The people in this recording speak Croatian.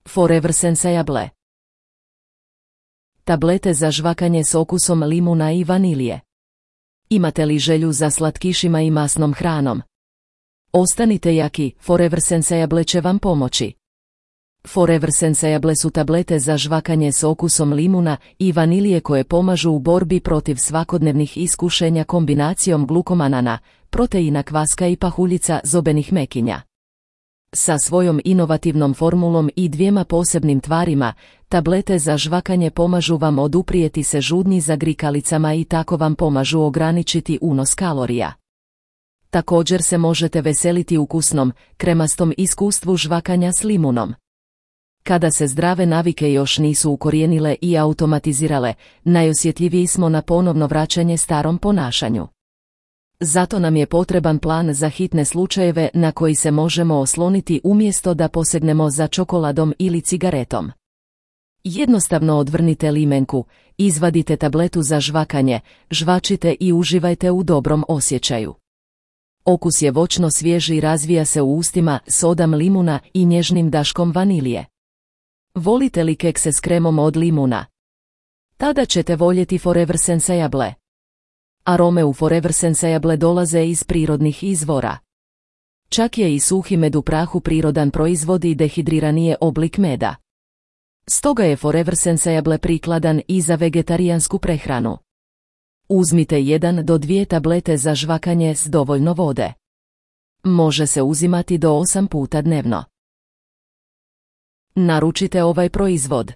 Forever Sensable. Tablete za žvakanje s okusom limuna i vanilije. Imate li želju za slatkišima i masnom hranom? Ostanite jaki, Forever Sensable će vam pomoći. Forever Sensable su tablete za žvakanje s okusom limuna i vanilije koje pomažu u borbi protiv svakodnevnih iskušenja kombinacijom glukomanana, proteina kvaska i pahuljica zobenih mekinja. Sa svojom inovativnom formulom i 2 posebnim tvarima, tablete za žvakanje pomažu vam oduprijeti se žudnji za grikalicama i tako vam pomažu ograničiti unos kalorija. Također se možete veseliti ukusnom, kremastom iskustvu žvakanja s limunom. Kada se zdrave navike još nisu ukorijenile i automatizirale, najosjetljiviji smo na ponovno vraćanje starom ponašanju. Zato nam je potreban plan za hitne slučajeve na koji se možemo osloniti umjesto da posegnemo za čokoladom ili cigaretom. Jednostavno odvrnite limenku, izvadite tabletu za žvakanje, žvačite i uživajte u dobrom osjećaju. Okus je voćno svjež i razvija se u ustima sodom limuna i nježnim daškom vanilije. Volite li kekse s kremom od limuna? Tada ćete voljeti Forever Sensable. Arome u Forever Sensable dolaze iz prirodnih izvora. Čak je i suhi med u prahu prirodan proizvod i dehidrirani je oblik meda. Stoga je Forever Sensable prikladan i za vegetarijansku prehranu. Uzmite 1 do 2 tablete za žvakanje s dovoljno vode. Može se uzimati do 8 puta dnevno. Naručite ovaj proizvod.